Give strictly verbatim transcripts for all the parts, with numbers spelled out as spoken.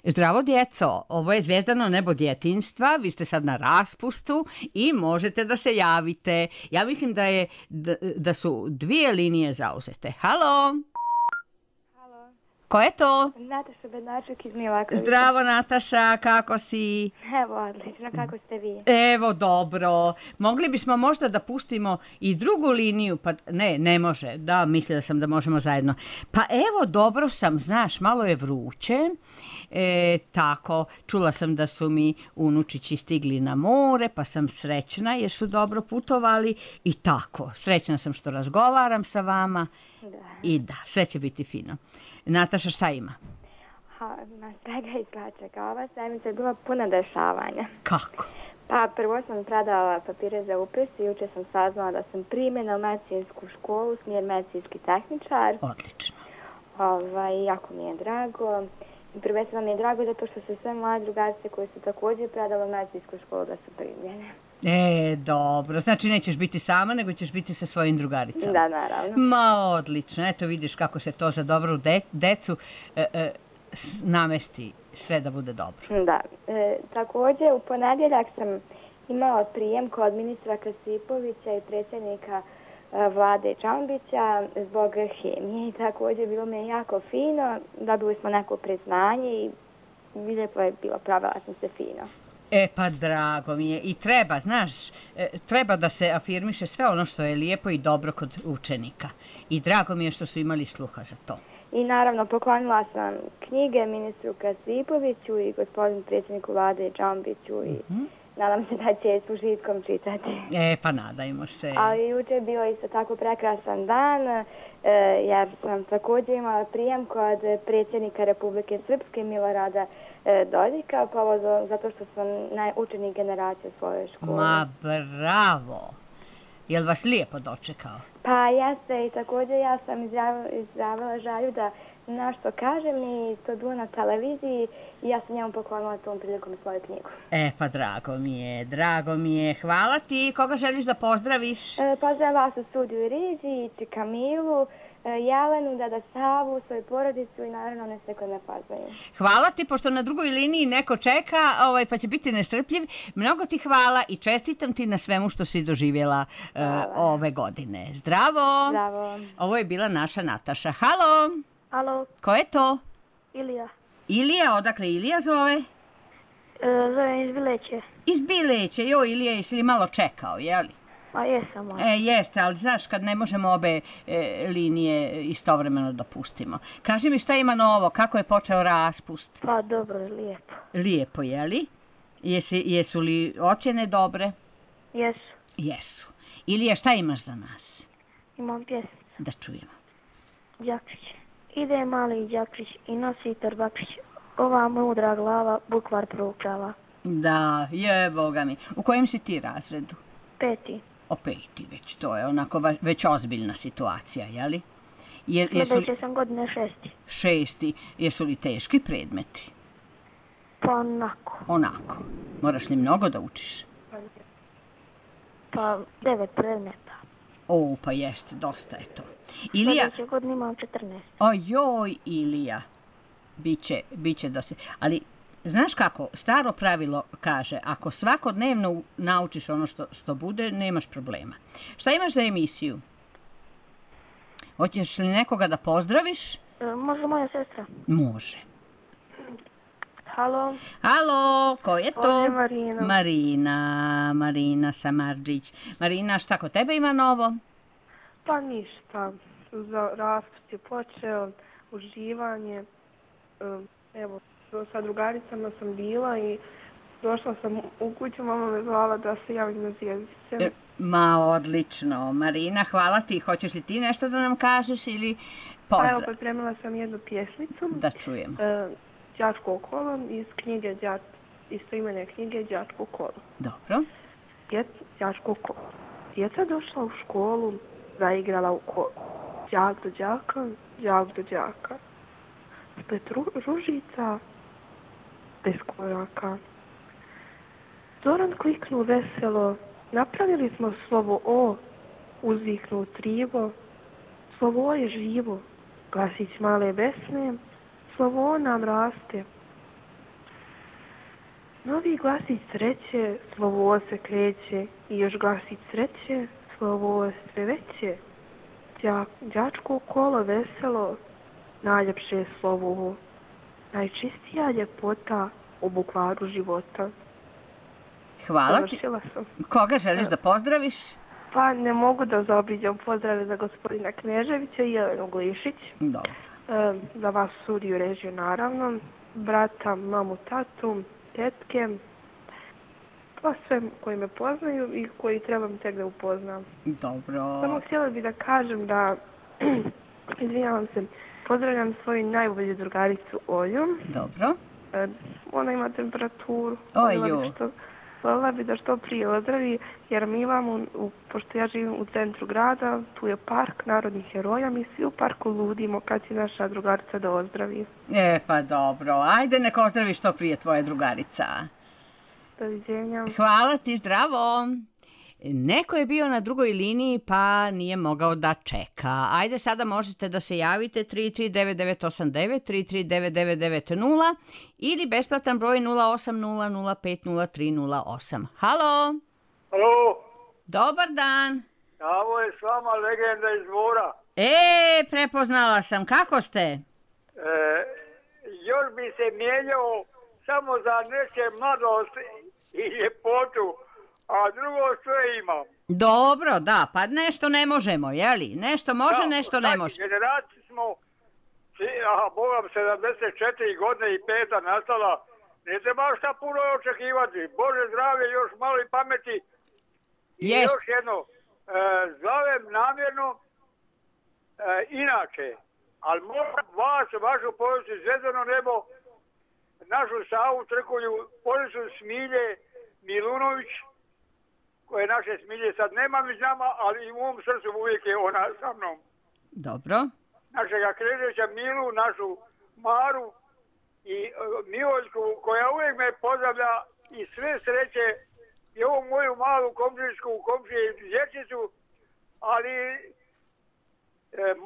Zdravo djeco, ovo je Zvijezdano nebo djetinjstva, vi ste sad na raspustu i možete da se javite. Ja mislim da, je, da, da su dvije linije zauzete. Halo? Halo. Ko je to? Nataša Bednačuk iz Milakovića. Zdravo Nataša, kako si? Evo, odlično, kako ste vi? Evo, dobro. Mogli bismo možda da pustimo i drugu liniju, pa ne, ne može. Da, mislila sam da možemo zajedno. Pa evo, dobro sam, znaš, malo je vruće. E, tako, čula sam da su mi unučići stigli na more, pa sam srećna jer su dobro putovali i tako. Srećna sam što razgovaram sa vama. Da. I da, sve će biti fino. Nataša, šta ima? Ha, na svega isplačaka. Ova sedmica je bila puna dešavanja. Kako? Pa prvo sam predala papire za upis i juče sam saznala da sam primjena u medicinsku školu, smjer medicinski tehničar. Odlično. Ovaj, jako mi je drago. Prvenstveno mi je drago zato što su sve moje drugarice koje su također predale u medicinsku školu da su primljene. E, dobro. Znači nećeš biti sama, nego ćeš biti sa svojim drugaricama. Da, naravno. Ma, odlično. Eto vidiš kako se to za dobru de decu e, e, namesti sve da bude dobro. Da. E, također u ponedjeljak sam imala prijem kod ministra Kasipovića i predsjednika e, vlade Čambića zbog hemije i također bilo mi je jako fino. Dobili smo neko priznanje i lijepo je bilo, pravila sam se fino. E pa drago mi je i treba, znaš, treba da se afirmiše sve ono što je lijepo i dobro kod učenika. I drago mi je što su imali sluha za to. I naravno poklonila sam knjige ministru Kasipoviću i gospodinu predsjedniku vlade Čambiću i mm-hmm. nadam se da će s užitkom čitati. E pa nadajmo se. Ali juče je bio isto tako prekrasan dan jer sam također imala prijem kod predsjednika Republike Srpske Milorada Dodika, povodom zato što sam najučenik generacije svoje škole. Ma bravo! Je li vas lijepo dočekao? Pa jeste i također ja sam izjavila, izjavila želju da nešto kažem i to bilo na televiziji i ja sam njemu poklonila tom prilikom svoju knjigu. E pa drago mi je, drago mi je. Hvala ti. Koga želiš da pozdraviš? E, pozdravim vas u studiju Riđi, i Kamilu, Jelenu, Dada Savu, svoju porodicu i naravno ne sve koje me pozdravim. Hvala ti, pošto na drugoj liniji neko čeka, ovaj, pa će biti nestrpljiv. Mnogo ti hvala i čestitam ti na svemu što si doživjela uh, ove godine. Zdravo! Zdravo! Ovo je bila naša Nataša. Halo! Halo. Ko je to? Ilija. Ilija, odakle Ilija zove? E, zovem iz Bileće. Iz Bileće, jo Ilija, jesi li malo čekao, jeli? A jesam. E, jeste, ali znaš, kad ne možemo obe e, linije istovremeno da pustimo. Kaži mi šta ima novo, kako je počeo raspust? Pa dobro, lijepo. Lijepo, jeli? Jesi, jesu li ocjene dobre? Jesu. Jesu. Ilija, šta imaš za nas? Imam pjesmicu. Da čujemo. Đakrić. Ide mali Đakrić i nosi torbakrić. Ova mudra glava bukvar proučava. Da, je, boga mi. U kojem si ti razredu? Peti. O peti već, to je onako već ozbiljna situacija, jeli? Je, Sljedeće sam godine šesti. Šesti. Jesu li teški predmeti? Pa onako. Onako. Moraš li mnogo da učiš? Pa devet predmeta. O, pa jeste, dosta je to. Ilija... Sljedeće godine imam četrnaest. Ojoj, Ilija. Biće, biće da se... Ali... Znaš kako, staro pravilo kaže, ako svakodnevno naučiš ono što, što bude, nemaš problema. Šta imaš za emisiju? Hoćeš li nekoga da pozdraviš? E, može moja sestra. Može. Halo. Halo, ko je to? Ovdje Marina. Marina, Marina Samarđić. Marina, šta kod tebe ima novo? Pa ništa. Za raspust je počeo, uživanje, evo, sa drugaricama sam bila i došla sam u kuću, mama me zvala da se javim na zvijezdice. E, ma, odlično. Marina, hvala ti. Hoćeš li ti nešto da nam kažeš ili pozdrav? Pa evo, pripremila sam jednu pjesmicu. Da čujem. E, Đačko kolo iz knjige, Đač, istoimene knjige Đačko kolo. Dobro. Djec, Đačko kolo. Djeca došla u školu, zaigrala u kolo. Đak do đaka, đak do đaka. Spet ru, ružica, bez koraka. Zoran kliknu veselo, napravili smo slovo O, uzviknu trivo. Slovo O je živo, glasić male besne, slovo O nam raste. Novi glasić sreće, slovo se kreće, i još glasić sreće, slovo sve veće. Đak, đačko kolo veselo, najljepše slovo, najčistija ljepota u bukvaru života. Hvala ti. Koga želiš da pozdraviš? Pa ne mogu da zaobiđem pozdrave za gospodina Kneževića i Jelenu Glišić. Dobro. E, za vas studiju režiju naravno, brata, mamu, tatu, tetke, pa sve koji me poznaju i koji trebam tek da upoznam. Dobro. Samo htjela bih da kažem da, izvinjavam se, pozdravljam svoju najbolju drugaricu Olju. Dobro. E, ona ima temperaturu. Oju. Voljela bi da što prije ozdravi, jer mi imamo, u, pošto ja živim u centru grada, tu je park narodnih heroja, mi svi u parku ludimo kad će naša drugarica da ozdravi. E, pa dobro. Ajde, nek ozdravi što prije tvoja drugarica. Doviđenja. Hvala ti, zdravo. Neko je bio na drugoj liniji pa nije mogao da čeka. Ajde, sada možete da se javite tri tri devet devet osam devet, tri tri devet devet devet nula ili besplatan broj nula osam nula nula pet nula tri nula osam. Halo? Halo? Dobar dan. Ovo je s vama legenda iz Dvora. E, prepoznala sam. Kako ste? E, još bi se mijenjao samo za neke mladost i ljepotu, a drugo sve imam. Dobro, da, pa nešto ne možemo, jeli? Nešto može, da, nešto ne može. Generaciji smo, aha, bogam, sedamdeset četiri godine i peta nastala, ne treba šta puno očekivati. Bože zdravlje, još malo i pameti. I Jest. još jedno, e, zovem namjerno, e, inače, ali moram vas, vašu povijest, Zvezdano nebo, našu Savu Trkulju, oni su Smilje Milunović, koje naše Smilje sad nema među nama, ali u mom srcu uvijek je ona sa mnom. Dobro. Našega Krežeća Milu, našu Maru i uh, Mivoljku, koja uvijek me pozdravlja i sve sreće i ovu moju malu komšinsku komšiju dječicu, ali e,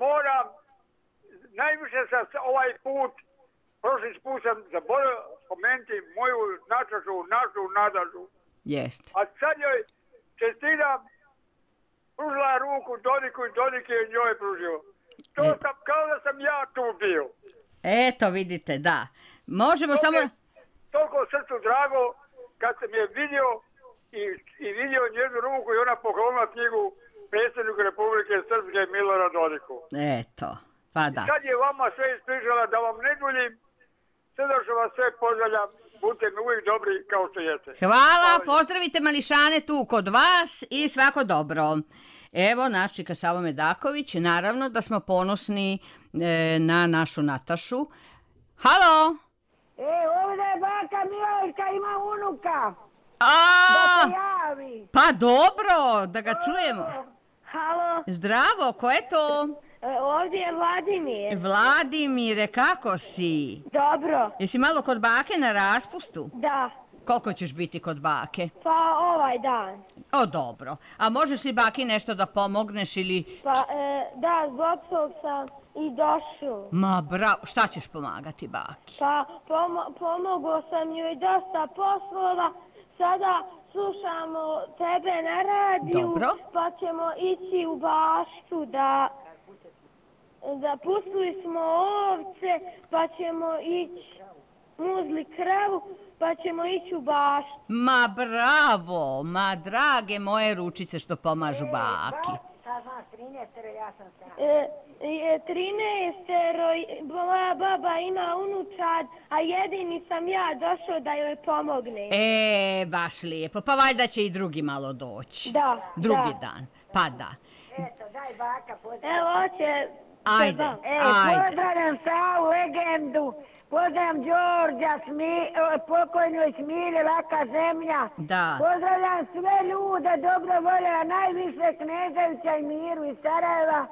moram, najviše sam ovaj put, prošli put sam zaboravio spomenuti moju načašu, našu Nadažu. Jest. A sad joj čestitam, pružila ruku Dodiku i Dodik je njoj pružio. To e. sam, kao da sam ja tu bio. Eto, vidite, da. Možemo to samo... Je toliko srcu drago kad sam je vidio i, i vidio njenu ruku i ona poklonila knjigu predsjedniku Republike Srpske Miloradu Dodiku. Eto, pa da. I sad je vama sve ispričala, da vam ne duljim, srdačno vas sve pozdravljam. Budite mi uvijek dobri kao što jeste. Hvala, pozdravite mališane tu kod vas i svako dobro. Evo, naš čika Savo Medaković, naravno da smo ponosni e, na našu Natašu. Halo? E, ovdje je baka Miloška, ima unuka. A, da se javi. Pa dobro, da ga čujemo. Halo? Zdravo, ko je to? E, ovdje je Vladimir. Vladimire, kako si? Dobro. Jesi malo kod bake na raspustu? Da. Koliko ćeš biti kod bake? Pa ovaj dan. O, dobro. A možeš li baki nešto da pomogneš ili... Pa, e, da, zbog tog sam i došao. Ma, bravo. Šta ćeš pomagati baki? Pa, pom- pomogao sam joj dosta poslova. Sada slušamo tebe na radiju. Dobro. Pa ćemo ići u baštu da... Da pustili smo ovce, pa ćemo ići muzli kravu, pa ćemo ići u baštu. Ma bravo, ma drage moje ručice što pomažu baki. E, e, trinaestero, moja baba ima unučad, a jedini sam ja došao da joj pomogne. E, baš lijepo, pa valjda će i drugi malo doći. Da, Drugi da. dan, pa da. Eto, daj baka, pozdravljam. Evo, hoće... Ajde, e, ajde. Pozdravljam Savu, legendu, pozdravljam Đorđa, Smi, pokojnoj Smilje, Laka zemlja. Da. Pozdravljam sve ljude, dobro volje, a najviše Kneževića i Miru iz Sarajeva.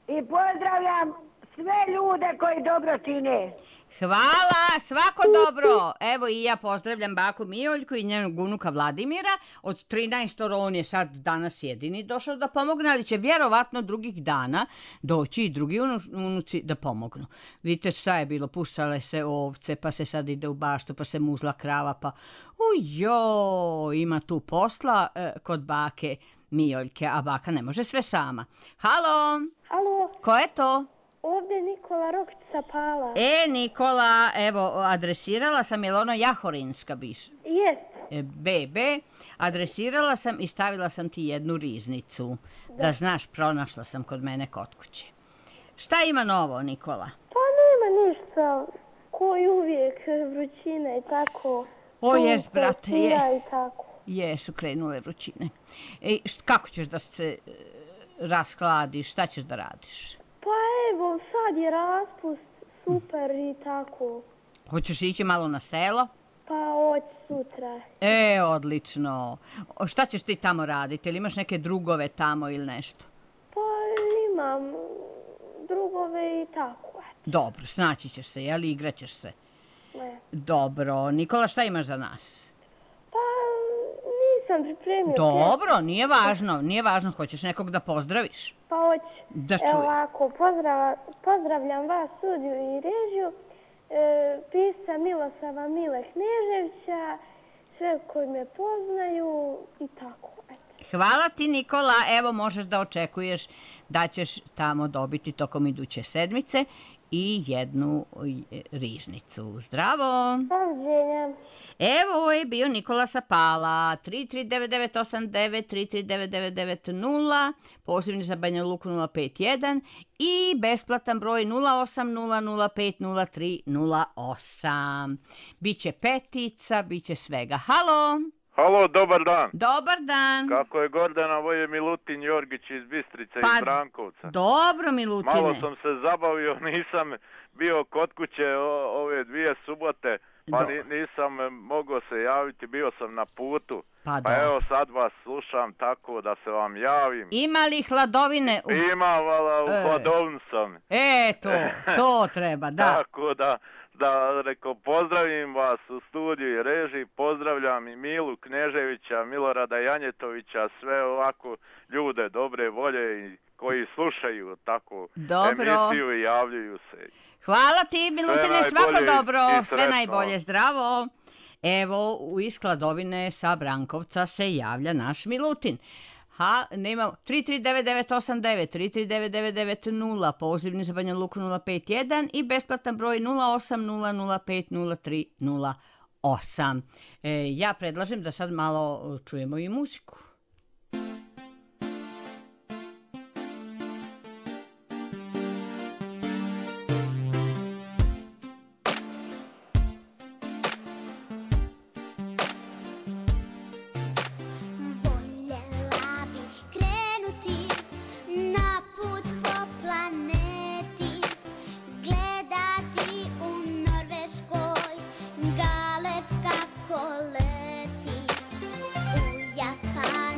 I pozdravljam sve ljude koji dobro čine. Hvala, svako dobro. Evo i ja pozdravljam baku Mijoljku i njenog unuka Vladimira. Od trinaest on je sad danas jedini došao da pomogne, ali će vjerovatno drugih dana doći i drugi unuci da pomognu. Vidite šta je bilo, puštale se ovce, pa se sad ide u baštu, pa se muzla krava, pa ujo, ima tu posla eh, kod bake Mijoljke, a baka ne može sve sama. Halo? Halo? Ko je to? Ovdje Nikola Rokć sa Pala. E, Nikola, evo, adresirala sam, je li ono Jahorinska biš? Jest. E, Bebe, adresirala sam i stavila sam ti jednu riznicu. Da. da znaš, pronašla sam kod mene kod kuće. Šta ima novo, Nikola? Pa nema ništa, ko i uvijek, vrućina i tako. O, jest, brate, je. I tako. Jesu krenule vrućine. E, št, kako ćeš da se e, raskladiš, šta ćeš da radiš? Pa evo, sad je raspust, super i tako. Hoćeš ići malo na selo? Pa hoć sutra. E, odlično. O, šta ćeš ti tamo raditi? Ili imaš neke drugove tamo ili nešto? Pa imam drugove i tako. Dobro, snaći ćeš se, jel? Igrat ćeš se. Ne. Dobro. Nikola, šta imaš za nas? Pa nisam pripremio. Dobro, nije važno, nije važno. Hoćeš nekog da pozdraviš? Pa hoć. Da čujem. Evo ovako, pozdrav, pozdravljam vas, studiju i režiju, e, pisca Milosava Mile Kneževića, sve koji me poznaju i tako. Eto. Hvala ti, Nikola. Evo, možeš da očekuješ da ćeš tamo dobiti tokom iduće sedmice i jednu riznicu. Zdravo! Doviđenja. Evo, ovo je bio Nikola sa Pala. tri tri devet devet osam devet tri tri devet devet devet nula, pozivni za Banja Luku nula pet jedan i besplatan broj nula osam nula nula pet nula tri nula osam. Biće petica, biće svega. Halo! Halo, dobar dan. Dobar dan. Kako je Gordana, ovo je Milutin Jorgić iz Bistrice, pa, iz Brankovca. Dobro, Milutine. Malo sam se zabavio, nisam bio kod kuće o, ove dvije subote, pa ni, nisam mogao se javiti, bio sam na putu. Pa, pa evo sad vas slušam tako da se vam javim. Ima li hladovine? U... Ima, vala, u e. hladovnu sam. E, to, to treba, da. Tako da... Da, reko, pozdravim vas u studiju i režiji, pozdravljam i Milu Kneževića, Milorada Janjetovića, sve ovako ljude dobre volje i koji slušaju tako dobro. Emisiju i javljaju se. Hvala ti, Milutine, svako dobro, sve najbolje, zdravo. Evo, u Iskladovine sa Brankovca se javlja naš Milutin. Ha, nemamo tri tri devet devet osam devet tri tri devet devet devet nula, pozivni za Banja Luku nula pet jedan i besplatan broj nula osam nula nula pet nula tri nula osam. E, ja predlažem da sad malo čujemo i muziku. Gale kako leti u Japanu.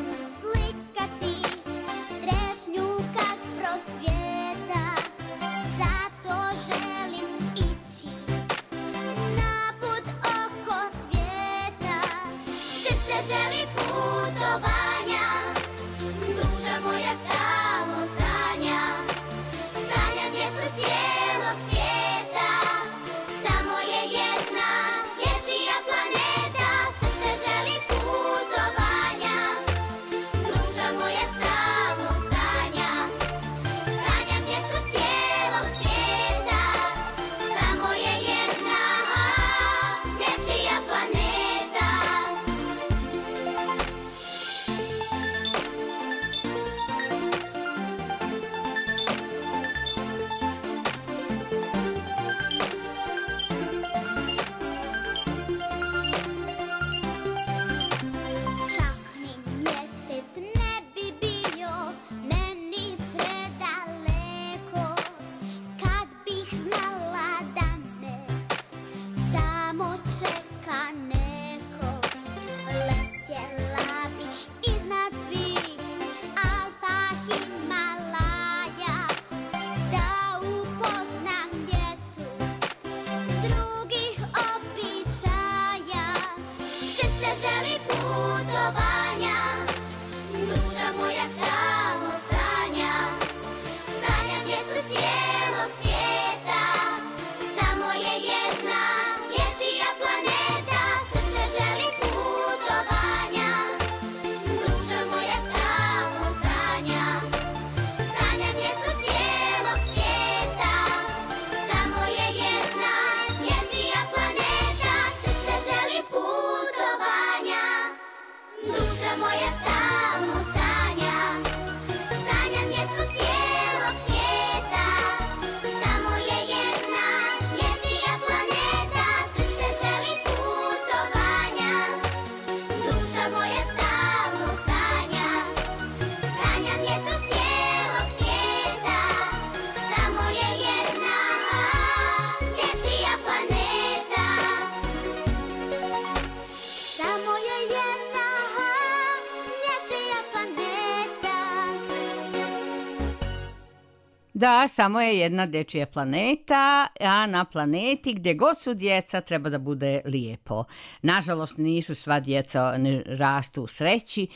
Da, samo je jedna dečija planeta, a na planeti gdje god su djeca treba da bude lijepo. Nažalost, nisu sva djeca, ne rastu u sreći,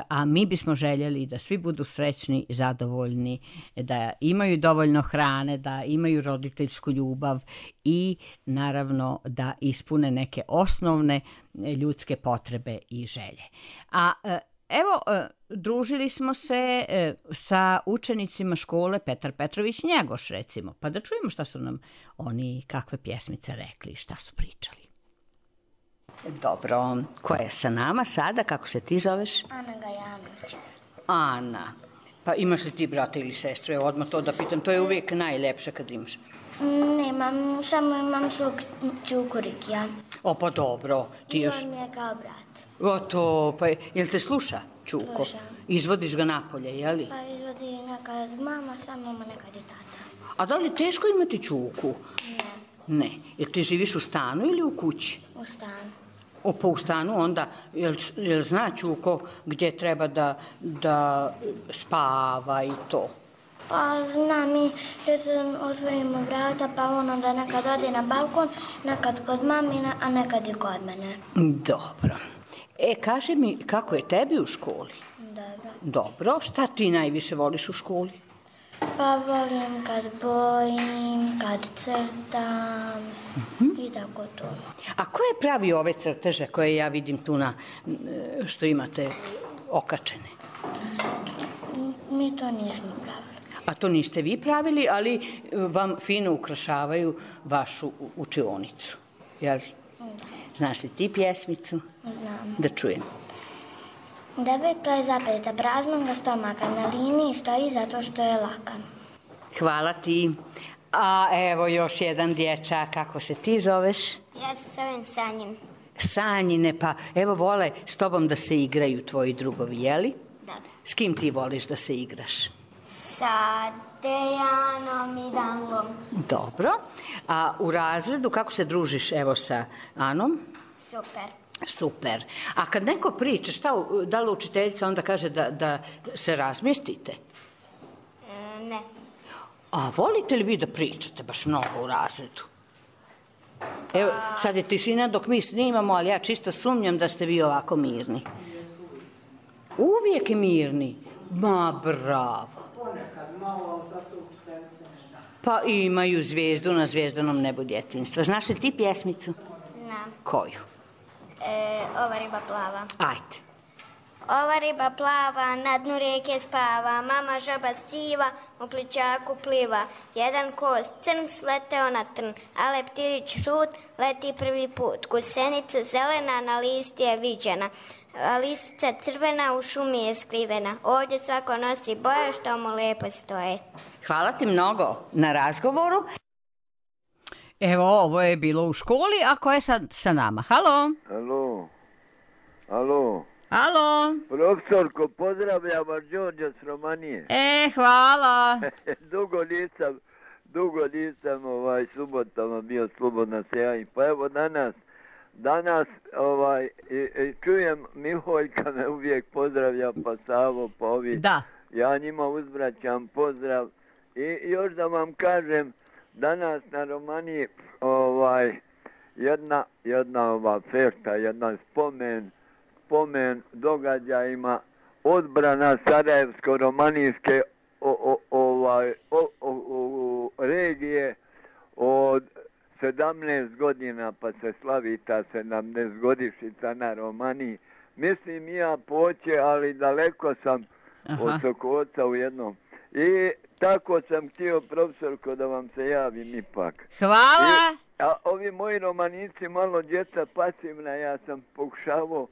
a mi bismo željeli da svi budu srećni, zadovoljni, da imaju dovoljno hrane, da imaju roditeljsku ljubav i naravno da ispune neke osnovne ljudske potrebe i želje. A evo, družili smo se sa učenicima škole Petar Petrović Njegoš, recimo, pa da čujemo šta su nam oni, kakve pjesmice rekli, šta su pričali. Dobro, ko je sa nama sada, kako se ti zoveš? Ana Gajanović. Ana, pa imaš li ti brata ili sestru? Evo odmah to da pitam, to je uvijek najlepše kad imaš. Nemam, samo imam svog Čukurikija. O, pa dobro. Ti I još... on mi je kao brat. O, to, pa jel te sluša, Čuko? Slušam. Izvodiš ga napolje, jeli? Pa izvodi nekad mama, sam mama, nekad i tata. A da li teško imati Čuku? Ne. Ne. Jel ti živiš u stanu ili u kući? U stanu. O, pa u stanu onda, jel, jel zna Čuko gdje treba da, da spava i to? Pa znam i da se otvorimo vrata, pa on onda nekad ode na balkon, nekad kod mamina, a nekad i kod mene. Dobro. E, kaži mi, kako je tebi u školi? Dobro. Dobro. Šta ti najviše voliš u školi? Pa volim kad bojim, kad crtam uh-huh. i tako to. A ko je pravi ove crteže koje ja vidim tu na, što imate okačene? Mi to nismo pravili. A to niste vi pravili, ali vam fino ukrašavaju vašu učionicu, jel? Da. Znaš li ti pjesmicu? Znam. Da čujem. Deveto je zapeta praznoga stomaka, na liniji stoji zato što je lakan. Hvala ti. A evo još jedan dječak, kako se ti zoveš? Ja se zovem Sanjin. Sanjine, pa evo vole s tobom da se igraju tvoji drugovi, jeli? Da. S kim ti voliš da se igraš? Sa Dejanom i Danlom. Dobro. A u razredu kako se družiš evo sa Anom? Super. Super. A kad neko priča, šta, da li učiteljica onda kaže da, da se razmjestite? E, ne. A volite li vi da pričate baš mnogo u razredu? Evo, sad je tišina dok mi snimamo, ali ja čisto sumnjam da ste vi ovako mirni. Uvijek mirni? Ma, bravo. Ponekad malo, zato učiteljice ne zna. Pa imaju zvijezdu na zvijezdanom nebu djetinjstva. Znaš li ti pjesmicu? Znam. Koju? E, ova riba plava. Ajde. Ova riba plava, na dnu rijeke spava, mama žaba siva, u plićaku pliva. Jedan kost crn sleteo na trn, a leptirić šut leti prvi put. Gusenica zelena na listi je viđena, a listica crvena u šumi je skrivena. Ovdje svako nosi boje što mu lijepo stoje. Hvala ti mnogo na razgovoru. Evo, ovo je bilo u školi, a ko je sad sa nama? Halo? Halo? Halo? Halo? Profesorko, pozdravljam vas, Đorđe s Romanije. E, hvala. dugo nisam, dugo nisam ovaj, subotama bio slobodna se javim. Pa evo danas, danas ovaj, i, i čujem Miholjka me uvijek pozdravlja, pa Savo, pa ovi. Da. Ja njima uzvraćam pozdrav. I još da vam kažem, danas na Romaniji ovaj, jedna, jedna ova fešta, jedan spomen, spomen događajima odbrana Sarajevsko-romanijske o, o, ovaj, o, o, o, regije od sedamnaest godina, pa se slavi ta sedamnaestogodišnjica na Romaniji. Mislim ja poće, ali daleko sam Aha. od Sokoca u jednom. I tako sam htio, profesorko, da vam se javim ipak. Hvala. I, a ovi moji romanici, malo djeca pasivna, ja sam pokušavao,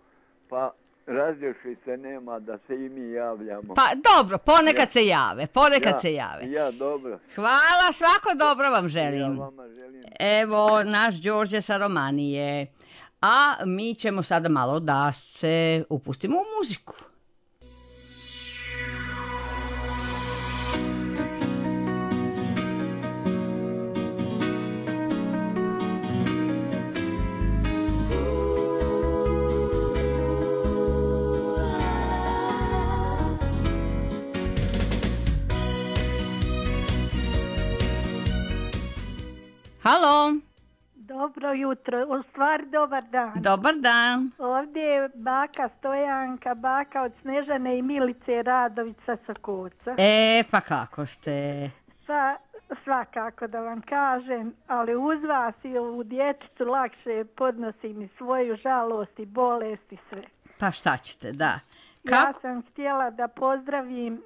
pa različili se nema da se i mi javljamo. Pa dobro, ponekad ja. se jave, ponekad ja, se jave. Ja, dobro. Hvala, svako dobro vam želim. Ja vama želim. Evo, naš Đorđe sa Romanije. A mi ćemo sada malo da se upustimo u muziku. dobro jutro, u stvari dobar dan. Dobar dan. Ovdje je baka Stojanka, baka od Snežane i Milice Radović sa Sokoca. E, pa kako ste? Pa, svakako da vam kažem, ali uz vas i ovu dječicu lakše podnosim i svoju žalost i bolest i sve. Pa šta ćete, da. Kako? Ja sam htjela da pozdravim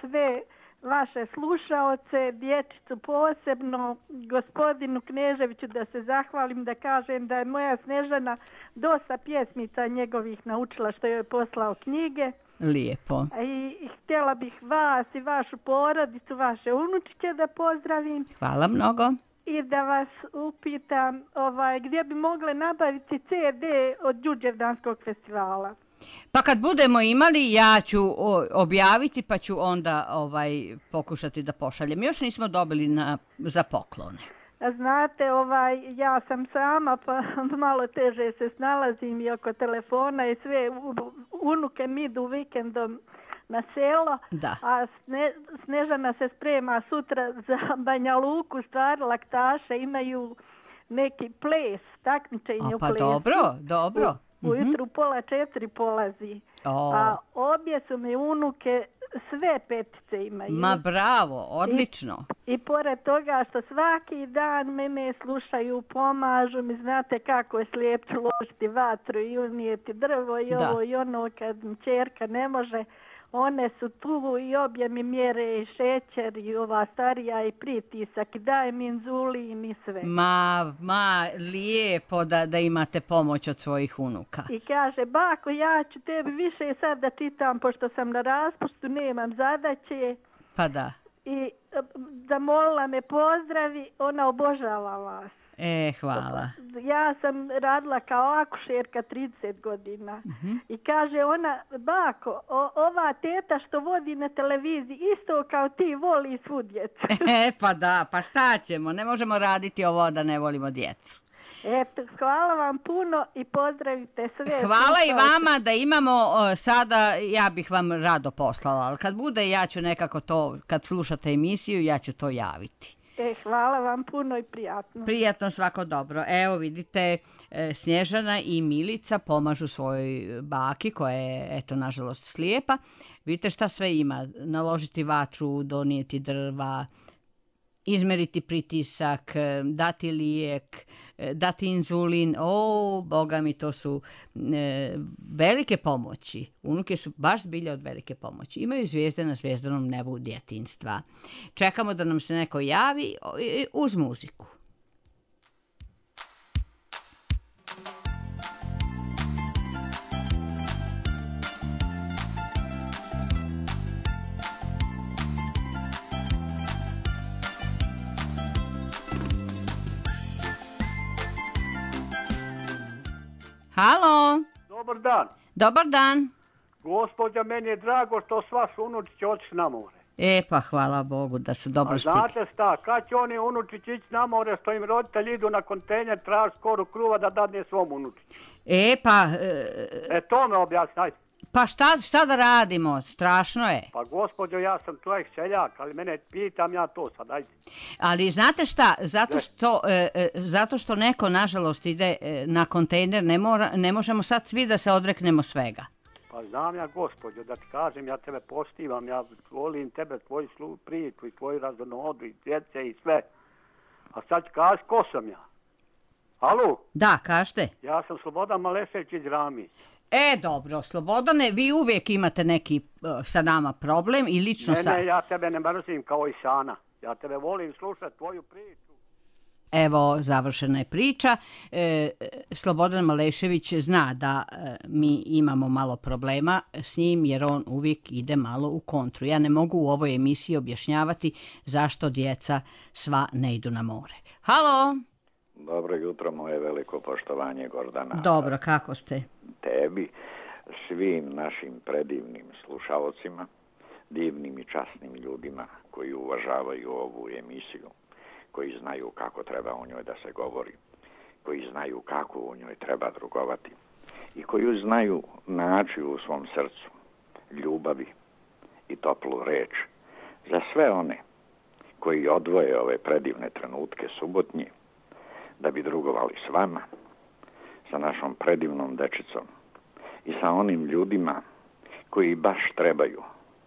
sve vaše slušaoce, dječicu posebno, gospodinu Kneževiću da se zahvalim, da kažem da je moja Snežana dosta pjesmica njegovih naučila što joj je poslao knjige. Lijepo. I, i htjela bih vas i vašu porodicu, vaše unučiće da pozdravim. Hvala mnogo. I da vas upitam ovaj, gdje bi mogle nabaviti ce de od Đurđevdanskog festivala. Pa kad budemo imali, ja ću objaviti pa ću onda ovaj pokušati da pošaljem. Još nismo dobili na, za poklone. Znate, ovaj, ja sam sama pa malo teže se snalazim i oko telefona i sve. Unuke mi idu vikendom na selo, da. A Sne, Snežana se sprema sutra za Banja Luku, stvar laktaše, imaju neki ples, takmičenje u pa plesu. dobro, dobro. U, ujutru pola četiri polazi. O. A obje su mi unuke, sve petice imaju. Ma bravo, odlično. I, i pored toga što svaki dan mene slušaju, pomažu mi, znate kako je slijepću ložiti vatru i unijeti drvo i ovo i ono kad mi ćerka ne može. One su tu i obje mi mjere i šećer i ova starija i pritisak i daje mi inzulin i sve. Ma, ma, lijepo da, da imate pomoć od svojih unuka. I kaže, bako, ja ću tebi više sad da čitam, pošto sam na raspustu, nemam zadaće. Pa da. I zamolila me pozdravi, ona obožava vas. E, hvala. Ja sam radila kao akušerka trideset godina. Uh-huh. I kaže ona, bako, o, ova teta što vodi na televiziji isto kao ti voli svu djecu. E, pa da, pa šta ćemo? Ne možemo raditi ovo da ne volimo djecu. Eto, hvala vam puno i pozdravite sve. Hvala i vama da imamo o, sada, ja bih vam rado poslala, ali kad bude ja ću nekako to, kad slušate emisiju, ja ću to javiti. E, hvala vam puno i prijatno. Prijatno, svako dobro. Evo vidite, Snježana i Milica pomažu svojoj baki koja je, eto, nažalost slijepa. Vidite šta sve ima. Naložiti vatru, donijeti drva, izmeriti pritisak, dati lijek, dati inzulin. O, Boga mi, to su e, velike pomoći. Unuke su baš zbilja od velike pomoći. Imaju zvijezde na zvijezdanom nebu djetinjstva. Čekamo da nam se neko javi uz muziku. Halo. Dobar dan. Dobar dan. Gospođa, meni je drago što sva su unučići otišli na more. E, pa hvala Bogu da su dobro stigli. A znate šta, kad će oni unučići ići na more što im roditelji idu na kontejner, traži skoru kruva da dadne svom unučići? E, pa... E, e to me objasni, ajde. Pa šta, šta da radimo? Strašno je. Pa gospođo, ja sam čovjek seljak, ali mene pitam ja to sad, ajde. Ali znate šta, zato što, e, e, zato što neko nažalost ide e, na kontejner, ne, mora, ne možemo sad svi da se odreknemo svega. Pa znam ja gospođo, da ti kažem, ja tebe poštivam, ja volim tebe, tvoju slu, priču i tvoju razonodu i djece i sve. A sad ću kaži ko sam ja. Alo? Da, kažete. Ja sam Slobodan Malešević iz Ramić. E, dobro, Slobodane, vi uvijek imate neki uh, sa nama problem i lično ne, sa... Ne, ja tebe ne mrzim kao i Sana. Ja tebe volim slušati tvoju priču. Evo, završena je priča. E, Slobodan Malešević zna da e, mi imamo malo problema s njim jer on uvijek ide malo u kontru. Ja ne mogu u ovoj emisiji objašnjavati zašto djeca sva ne idu na more. Halo! Dobro jutro, moje veliko poštovanje, Gordana. Dobro, kako ste? Tebi, svim našim predivnim slušalcima, divnim i časnim ljudima koji uvažavaju ovu emisiju, koji znaju kako treba o njoj da se govori, koji znaju kako u njoj treba drugovati i koji znaju naći u svom srcu ljubavi i toplu reč za sve one koji odvoje ove predivne trenutke subotnje da bi drugovali s vama, sa našom predivnom dečicom i sa onim ljudima koji baš trebaju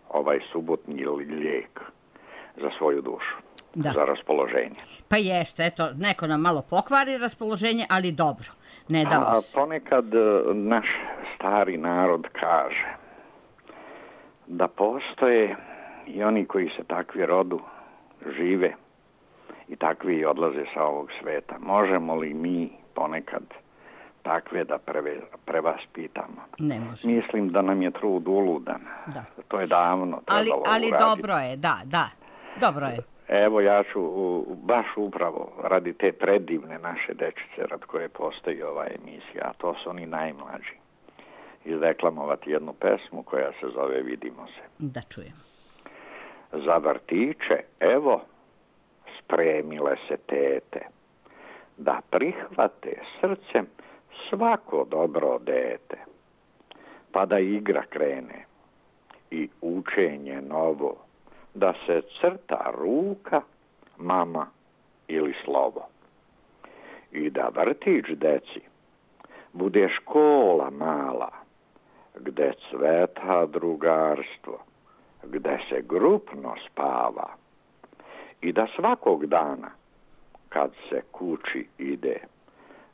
ovaj subotnji lijek za svoju dušu, da. Za raspoloženje. Pa jeste, eto, neko nam malo pokvari raspoloženje, ali dobro, ne damo A se. ponekad naš stari narod kaže da postoje i oni koji se takvi rodu, žive i takvi odlaze sa ovog sveta. Možemo li mi ponekad takve da preve, prevaspitamo? Ne možemo. Mislim da nam je trud uludan. Da. To je davno ali, trebalo ali uraditi. dobro je, da, da, dobro je. Evo ja ću baš upravo radi te predivne naše dečice rad koje postoji ova emisija, a to su oni najmlađi, izdeklamovati jednu pesmu koja se zove Vidimo se. Da čujem. Za vrtiće, evo, spremile se tete, da prihvate srcem svako dobro dete, pa da igra krene i učenje novo, da se crta ruka, mama ili slovo. I da vrtić deci bude škola mala, gde cveta drugarstvo, gde se grupno spava. I da svakog dana, kad se kući ide,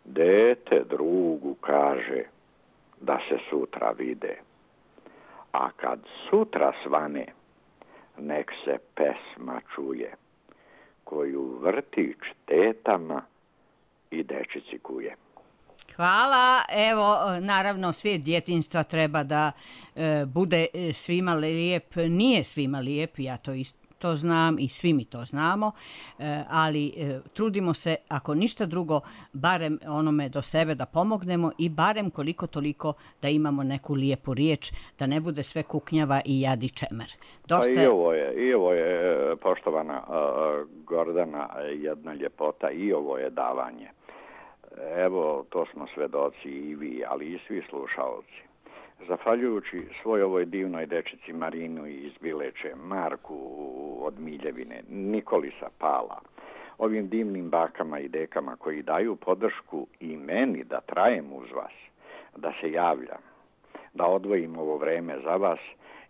dete drugu kaže da se sutra vide. A kad sutra svane, nek se pesma čuje, koju vrtić tetama i dečici kuje. Hvala, evo, naravno, svijet djetinjstva treba da e, bude svima lijep, nije svima lijep, ja to isto to znam i svi mi to znamo, e, ali e, trudimo se, ako ništa drugo, barem onome do sebe da pomognemo i barem koliko toliko da imamo neku lijepu riječ, da ne bude sve kuknjava i jad i čemer. Dosta... Pa i ovo je, i ovo je, poštovana uh, Gordana, jedna ljepota, i ovo je davanje. Evo, to smo svedoci i vi, ali i svi slušalci. Zahvaljujući svoj ovoj divnoj dečici Marinu iz Bileče, Marku od Miljevine, Nikoli sa Pala, ovim divnim bakama i dekama koji daju podršku i meni da trajem uz vas, da se javljam, da odvojim ovo vreme za vas,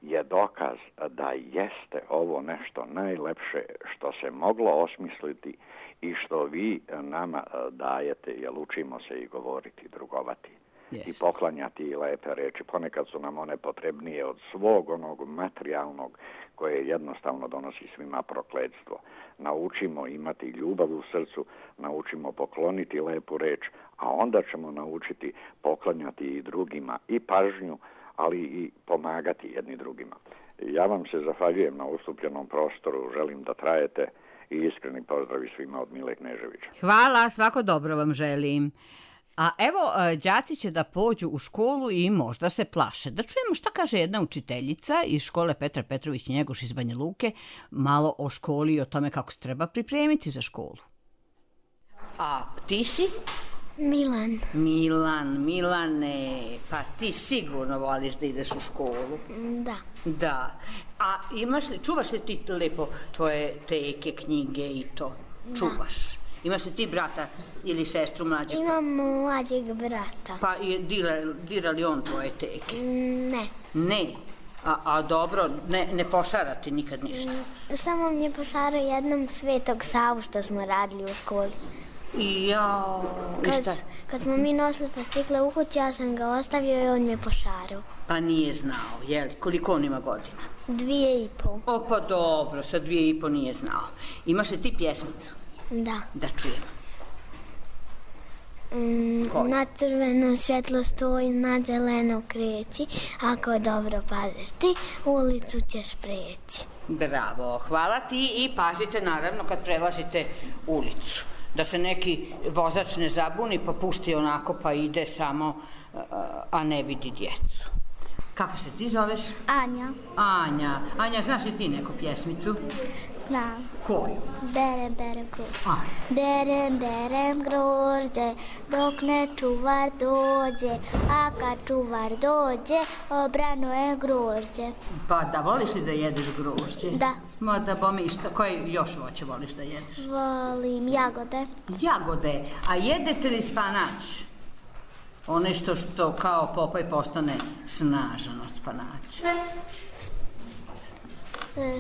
je dokaz da jeste ovo nešto najlepše što se moglo osmisliti i što vi nama dajete, jer učimo se i govoriti, drugovati. Yes. I poklanjati i lepe reči. Ponekad su nam one potrebnije od svog onog materijalnog koje jednostavno donosi svima prokletstvo. Naučimo imati ljubav u srcu, naučimo pokloniti lepu reč, a onda ćemo naučiti poklanjati i drugima i pažnju, ali i pomagati jedni drugima. Ja vam se zahvaljujem na ustupljenom prostoru, želim da trajete i iskreni pozdravi svima od Mile Kneževića. Hvala, svako dobro vam želim. A evo, đaci će da pođu u školu i možda se plaše. Da čujemo šta kaže jedna učiteljica iz škole Petar Petrović Njegoš iz Banja Luke, malo o školi i o tome kako se treba pripremiti za školu. A ti si? Milan. Milan, Milane, pa ti sigurno voliš da ideš u školu? Da. Da. A imaš li, čuvaš li ti lepo tvoje teke, knjige i to? Čuvaš? Da. Imaš li ti brata ili sestru mlađeg? Imam mlađeg brata. Pa dira, dira li on tvoje teke? Ne. Ne? A, a dobro, ne, ne pošara ti nikad ništa? Samo mi je pošarao jednom Svetog Savu što smo radili u školi. Jao, i šta? Kad, kad smo mi nosili pastikle u kući, ja sam ga ostavio i on mi je pošarao. Pa nije znao, jeli? Koliko on ima godina? Dvije i po. O, pa dobro, sa dvije i po nije znao. Imaš li ti pjesmicu? Da. Da čujem. Mm, na crveno svjetlo stoji, na zeleno kreći, ako dobro paziš ti, ulicu ćeš preći. Bravo, hvala ti i pazite naravno kad prelazite ulicu. Da se neki vozač ne zabuni pa pusti onako pa ide samo, a ne vidi djecu. Kako se ti zoveš? Anja. Anja. Anja, znaš li ti neku pjesmicu? Znam. Koju? Berem, berem grožđe. Berem, berem grožđe, dok ne čuvar dođe, a kad čuvar dođe, obrano je grožđe. Pa da, voliš li da jedeš grožđe? Da. Ma da bome, šta, koje još voće voliš da jedeš? Volim jagode. Jagode, a jedete li spanač? One što, što kao Popaj postane snažan od spanača.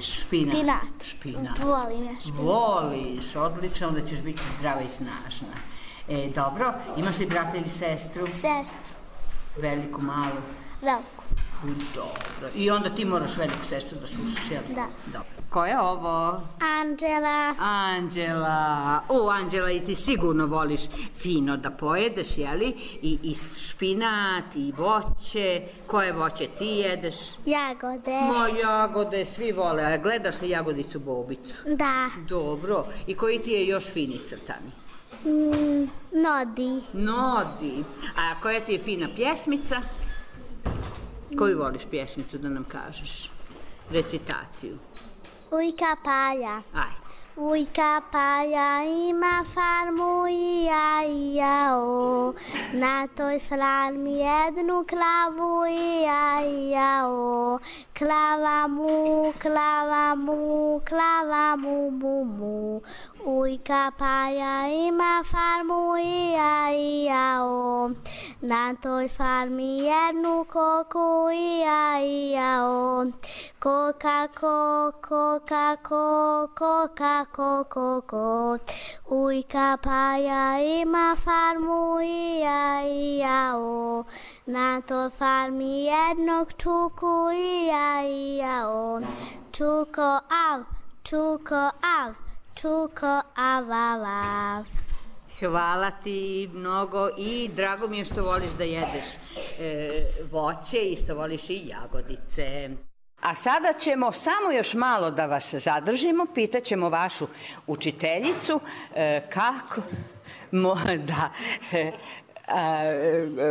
Špinat. Špinat. Špinat. Volim ja špinat. Voliš, odlično, onda ćeš biti zdrava i snažna. E, dobro, imaš li brata ili sestru? Sestru. Veliku, malu? Veliku. Dobro, i onda ti moraš veliku sestru da slušaš, jel? Da. Dobro. Ko je ovo? Anđela. Anđela. O, Anđela, i ti sigurno voliš fino da pojedeš, jeli? I, i špinat, i voće. Koje voće ti jedeš? Jagode. Ma, jagode, svi vole. A gledaš li Jagodicu Bobicu? Da. Dobro. I koji ti je još fini crtani? Mm, Nodi. Nodi. A koja ti je fina pjesmica? Koju voliš pjesmicu da nam kažeš? Recitaciju. Ujka Paja. Ajde. Ujka Paja ima farmu i ja i jao. Na toj farmi jednu klavu i ja i jao. Klava mu, klava mu, klava mu, mu, mu. Ujka Paja ima farmu i ja i jao. Na toj farmi jednu koku i ja i jao. Koka, ko, koka, ko, koka, ko, ko, ko. Ujka Paja ima farmu i ja i jao. Na toj farmi jednog čuku i ja i jao. Čuko av, čuko av, čuko av, av, av. Hvala ti mnogo i drago mi je što voliš da jedeš e, voće i što voliš i jagodice. A sada ćemo samo još malo da vas zadržimo, pitaćemo vašu učiteljicu e, kako... Mo, da... E, a,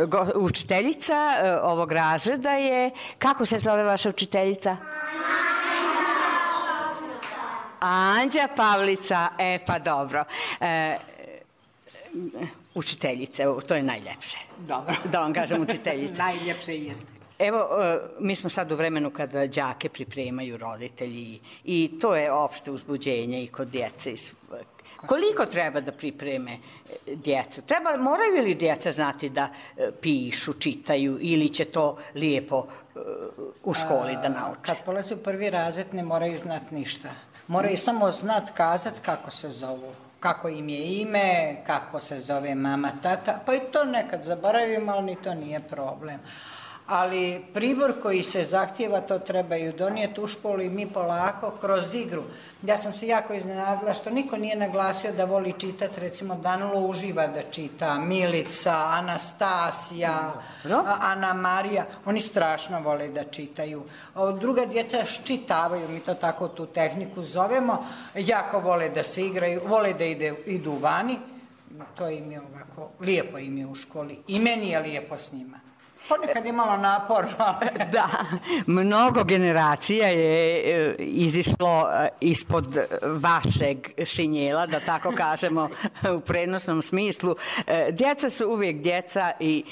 go, učiteljica e, ovog razreda je... Kako se zove vaša učiteljica? Anđa Pavlica. E, pa dobro. E, učiteljice, to je najljepše. Dobro. Da vam kažem učiteljica. Najljepše jeste. Evo, mi smo sad u vremenu kada đake pripremaju roditelji i to je opšte uzbuđenje i kod djece. Koliko treba da pripreme djecu? Treba, moraju li djeca znati da pišu, čitaju ili će to lijepo u školi da nauče? Kad polaze u prvi razred ne moraju znati ništa. Moraju samo znati kazati kako se zovu. Kako im je ime, kako se zove mama, tata, pa i to nekad zaboravimo, ali ni to nije problem. Ali pribor koji se zahtjeva, to trebaju donijeti u školu i mi polako kroz igru. Ja sam se jako iznenadila što niko nije naglasio da voli čitati, recimo Danilo uživa da čita, Milica, Anastasija, Ana Marija, oni strašno vole da čitaju. Druga djeca ščitavaju, mi to tako tu tehniku zovemo, jako vole da se igraju, vole da ide, idu vani, to im je ovako, lijepo im je u školi i meni je lijepo s njima. Ponekad je malo naporno, ali... Da, mnogo generacija je izišlo ispod vašeg šinjela, da tako kažemo u prenosnom smislu. Djeca su uvijek djeca i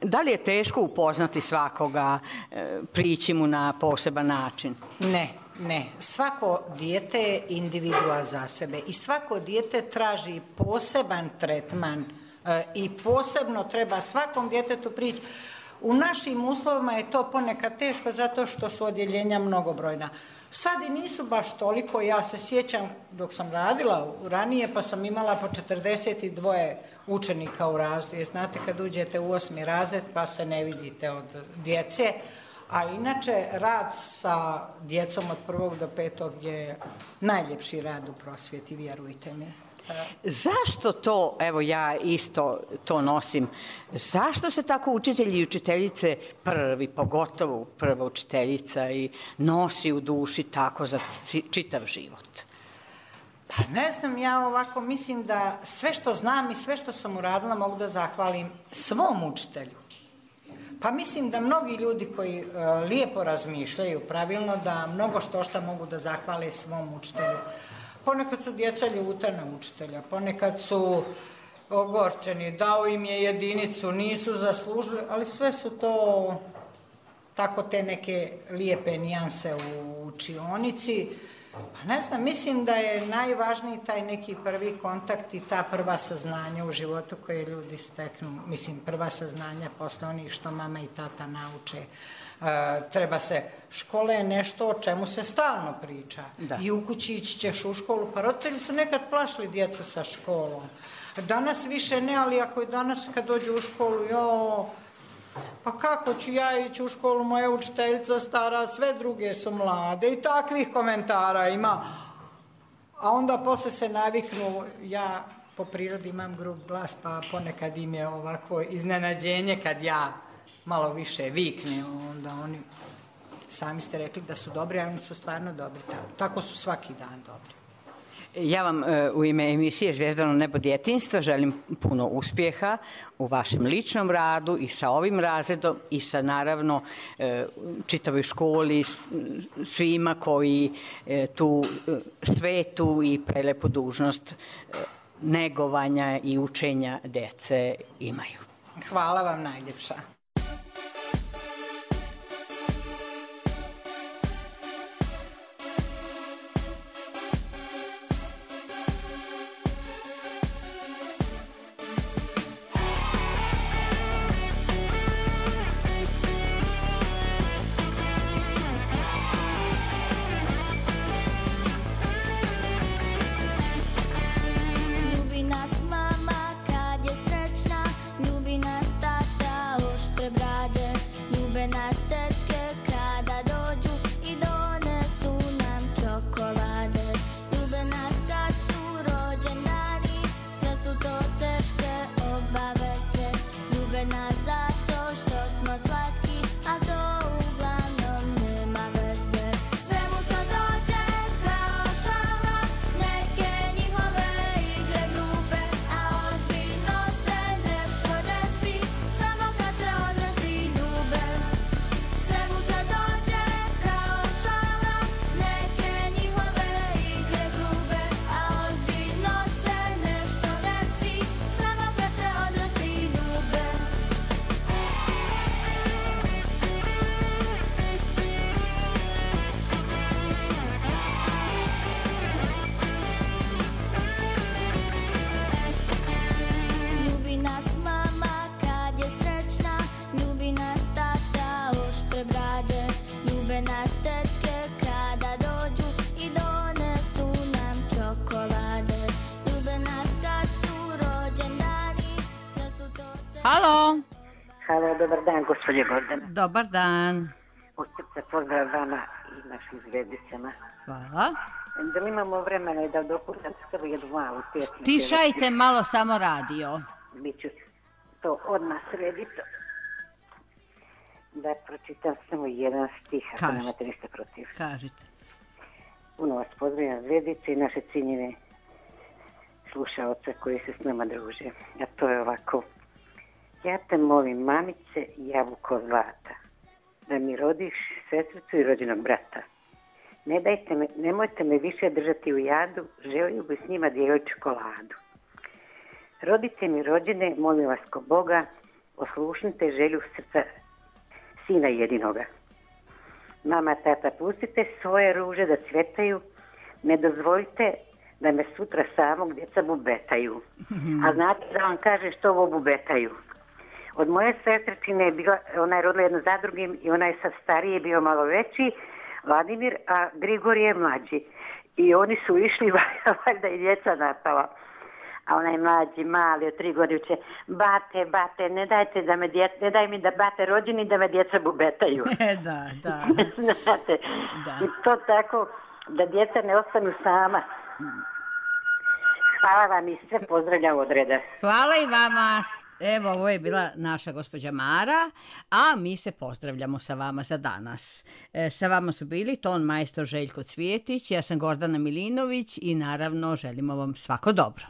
da li je teško upoznati svakoga, prići mu na poseban način? Ne, ne. Svako dijete je individua za sebe i svako dijete traži poseban tretman i posebno treba svakom djetetu prići. U našim uslovima je to ponekad teško zato što su odjeljenja mnogobrojna. Sad i nisu baš toliko, ja se sjećam dok sam radila ranije pa sam imala po četrdeset dva učenika u razredu. Znate kad uđete u osmi razred pa se ne vidite od djece, a inače rad sa djecom od prvog do petog je najljepši rad u prosvjeti, vjerujte mi. Zašto to, evo ja isto to nosim, zašto se tako učitelji i učiteljice prvi, pogotovo prva učiteljica i nosi u duši tako za čitav život? Pa ne znam, ja ovako mislim da sve što znam i sve što sam uradila mogu da zahvalim svom učitelju. Pa mislim da mnogi ljudi koji uh, lijepo razmišljaju pravilno da mnogo što šta mogu da zahvale svom učitelju. Ponekad su djeca ljuta na učitelja, ponekad su ogorčeni, dao im je jedinicu, nisu zaslužili, ali sve su to tako te neke lijepe nijanse u učionici. Pa ne znam, mislim da je najvažniji taj neki prvi kontakt i ta prva saznanja u životu koje ljudi steknu. Mislim, prva saznanja posle onih što mama i tata nauče. Uh, treba se, škola je nešto o čemu se stalno priča. Da. I u kući ići ćeš u školu, pa roditelji su nekad plašili djecu sa školom. Danas više ne, ali ako je danas kad dođu u školu, jo, pa kako ću ja ići u školu, moja učiteljica stara, sve druge su mlade i takvih komentara ima. A onda posle se naviknu, ja po prirodi imam grub glas, pa ponekad im je ovako iznenađenje kad ja malo više vikne, onda oni, sami ste rekli da su dobri, a oni su stvarno dobri. Tako su svaki dan dobri. Ja vam u ime emisije Zvijezdano nebo djetinjstva želim puno uspjeha u vašem ličnom radu i sa ovim razredom i sa naravno čitavoj školi, svima koji tu svetu i prelepu dužnost negovanja i učenja djece imaju. Hvala vam najljepša. Halo. Halo, dobar dan, gospođe Gordana. Dobar dan. Od srca pozdrav vama i našim zvezdicama. Hvala. Da li imamo vremena da dopuštam skrbi jednu malu pjesmu? Stišajte malo samo radio. Biću to odmah srediti. Da pročitam samo jedan stih, ako nemate ništa protiv. Kažite. Puno vas pozdravljam zvezdice i naše cijenjene slušaoce koji se s nama druže. A to je ovako. Ja te molim, mamice, jabuko zlata, da mi rodiš sestricu i rođenog brata. Ne dajte me, nemojte me više držati u jadu, želio bi s njima dijeliti čokoladu. Rodice mi rođene, molim vas ko Boga, oslušnite želju srca sina jedinoga. Mama, tata, pustite svoje ruže da cvjetaju, ne dozvolite da me sutra samog djeca bubetaju. A znate da vam kaže što ovo bubetaju? Od moje sestričine je bila, ona je rodila jedno za drugim i ona je sad stariji, bio malo veći, Vladimir, a Grigor je mlađi. I oni su išli, valjda i djeca napala. A onaj mlađi, mali, od tri godine uče, bate, bate, ne dajte da me djeca, ne daj mi da bate rođeni da me djeca bubetaju. Da, da. Znate, da. I to tako, da djeca ne ostanu sama. Hvala vam i sve pozdravljam od reda. Hvala i vama. Evo, ovo je bila naša gospođa Mara, a mi se pozdravljamo sa vama za danas. E, sa vama su bili ton majstor Željko Cvijetić, ja sam Gordana Milinović i naravno želimo vam svako dobro.